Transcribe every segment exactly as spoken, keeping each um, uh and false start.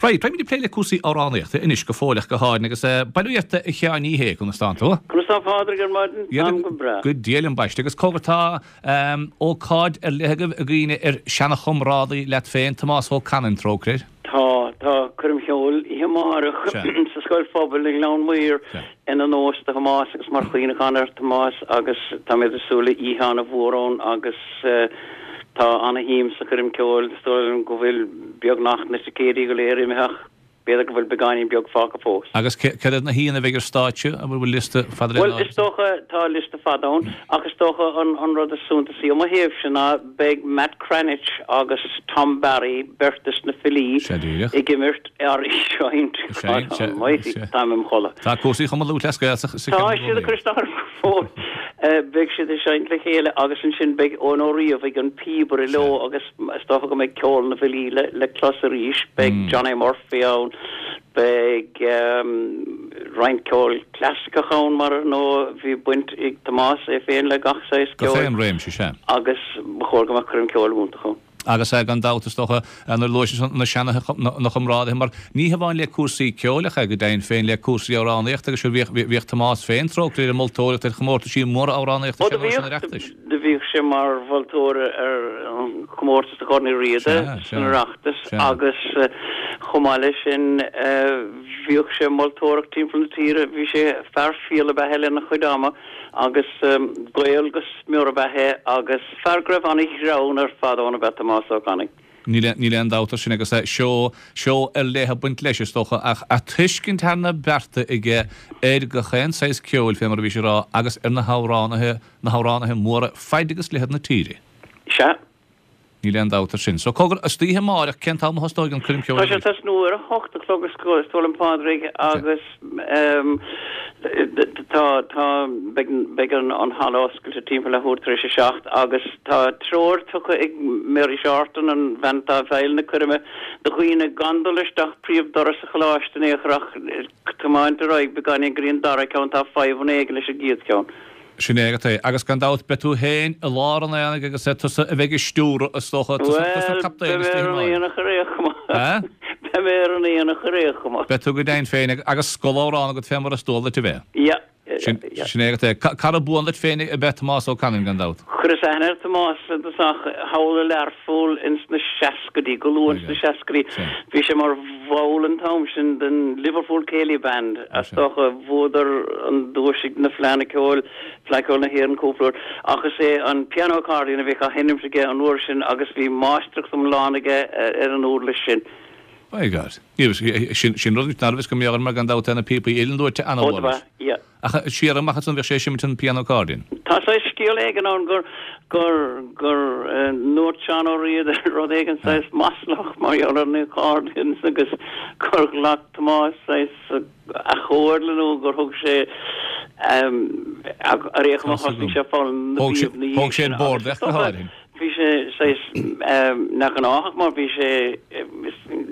Right, beimid ag plé le cúrsaí amhránaíochta anois go fóilleach go háirithe agus bail ó Dhia ort a Sheáin Uí Shé, conas tánn tú? Conas tá Pádraig ar maidin? Táim go breá. Go diail ambaiste agus cogar tá ócáid ar leith agaibh ag cuimhneamh ar seanchomrádaí leat féin, Tomás Ó Canainn, trócaire air. Tá, tá coirm cheoil oíche amárach sa Scoil Phobail i nGleann Mór in onóir do Thomás agus mar chuimhneachán ar Thomás agus táimid ag súil le oíche an-mhór ann agus Tá ana-shuim sa choirm ceoil, is dóigh liom go bhfuil beagnach na ticéidí go léir imithe ach b'fhéidir go bhfuil beagáinín beag fágtha fós. Agus céard iad na haíonna a bheidh ar stáitse? An bhfuil liosta fada le Bhuel, is dócha, tá liosta fada ann, ach is dócha an an rud is suntasaí ó mo thaobhse ná beidh Matt Cranitch agus Tom Barry, beirt des na filí, ag imirt ar seinnt. Táim im chodladh. Tá cúrsaí Chumann Lúthchleas Gael sa Tá siad ag cur isteach orm go fóill. Beidh siad ag seinnt le chéile agus ansin beidh Eoin Ó Riabhaigh ag an píobaire leo agus is dócha go mbeidh ceol na bhfilí le clos arís. Beidh Johnny Murphy ann, beidh roinnt ceol clasaiceach ann mar ar ndóigh bhí baint ag Tomás é féin le gach saghas ceoil. Gach aon réimse, sea. Agus ba chóir go mbeadh coirm ceoil iontach ann. Agus gan dabht, is dócha, nuair a luaigh sé na seana-chomrádaithe, mar ní hamháin le cúrsaí ceoil ach go deimhin féin le cúrsaí amhránaíochta agus bhíodh, bhíodh Tomás féin, trócaire air, ag moltóireacht ar chomórtaisí móra amhránaíochta Ó do bhíodh, Oireachtais. Do bhíodh sé mar mholtóir ar an chomórtas do Chorn Uí Riada san Oireachtas agus chomh maith leis sin bhíodh sé ag moltóireacht timpeall na tíre. Bhí sé, fear fial ab ea é lena chuid ama agus Gael go smior ab ea é agus fear go raibh ana-ghreann ar fad ann ab ea Tomás Ó Canainn. Níl aon dabht air sin agus seó, seó ar leith ag baint leis is dócha ach a tuiscint thar na bearta aige ar gach aon saghas ceoil fé mar a bhís ag rá agus ar na hamhránaithe, na hamhránaithe móra faid agus leithead na tíre. Sea. Níl aon dabht air sin. So, cogar, istoíche amáireach, cén t-am a thosnóidh an coirm cheoil Tá sé ag tosnú ar a hocht a chlog is dóigh liom Pádraig agus tá, tá, beidh, beidh an, an halla oscailte timpeall leathuair tar éis a seacht agus tá treoir tugtha ag Mary Shorten, an bhean atá i bhfeighil na coirme, do dhaoine gan dul isteach príomhdhoras an choláiste in aon chor ach tiomáint ar aghaidh beagáinín go dtí an dara ceann, tá fadhbanna éigin leis an gcéad cheann. Sin é agat é. Agus gan dabht, beidh tú féin i lár an aonaigh agus tusa a bheidh ag stiúradh, is dócha. Tusa Bhuel, an captaen beidh mé istoíche ar an amáireach. aonach ar aon chuma. Hah? Beidh mé ar an aonach ar aon chuma. Beidh tú go deimhin féin agus scolamhrán agat fé mar is dual duit a bheith. Yeah, Sin, yeah. sin é agat é. Cara buan duit féin ab ea Tomás Ó Canainn, gan dabht. Chuireas aithne ar Thomás i dtosach thall i Learpholl ins na seascaidí, go luath ins na seascaidí. Bhí sé mar bhall an t-am sin den Liverpool Céilí Band, is dócha. Bhuadar an duais ag na Fleadhanna Ceoil, Fleadh Cheoil na hÉireann cúpla uair. Ach is é an piano accordion a bhíodh á sheinmt aige an uair sin agus bhí máistreacht iomlán aige ar an uirlis sin. By God. Ní raibh, sin, sin rud nárbh fhios go mbeadh air mar gan dabht tá na píopaí uilleann luaite Ó, an-mhór do leis. bha, yeah. Ach siar amach ansan bhíodh sé ag seimint an piano accordion. Tá saghas scéal éigin ann gur, gur, gur ndúirt Seán Ó Riada rud éigin saghas maslach mar gheall ar na accordions agus gur ghlac Tomás saghas a chomhairle nó gur thug sé ar aon chuma thosnaigh sé ag foghlaim na Thóg sé, bpíob ina thóg dhiaidh sé sin an bord agus is ach go dócha háirithe. Bhí sé saghas neamhghnách mar bhí sé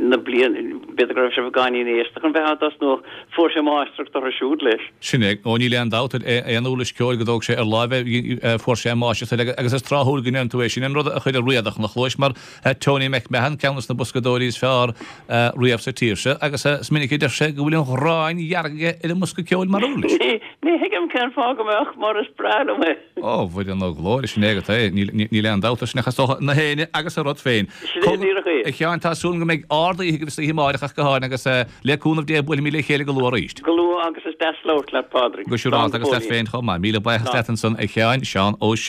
na blianta, b'fhéidir go raibh sé beagáinín aosta chun bheith á dtosnú ach fuair sé máistreacht orthu siúd leis. Sin é. Ó níl aon dabht ar aon uirlis ceoil go dtóg sé ar láimh é, fuair sé máistreacht air agus is tráthúil go ndeireann tú é sin, an rud a chuir an Riadach ina chluais mar Tony McMahon, ceann des na boscadóirí is fearr riamh sa tír seo agus is minic a deir sé go bhfuil an ghráin dhearg aige ar an mbosca ceoil mar uirlis. Ní thuigim cén fáth go mbeadh mar is breá liom é. Ó, Mhuire na Glóire, sin é agat é. Níl aon dabht air sin ach is dócha na héinne agus a rud féin. Sin é díreach é. A Sheáin, tá súil agam go mbeidh ard-oíche agaibh istoíche amáireach ach go háirithe agus le cúnamh Dé buailfimid le chéile go luath arís. Go luath agus is deas labhairt leat, Pádraig. Go Slán siúrálta go agus leat fóillín. féin chomh maith. Míle buíochas Slán. leat ansan, a Sheáin, Seán Ó Sé.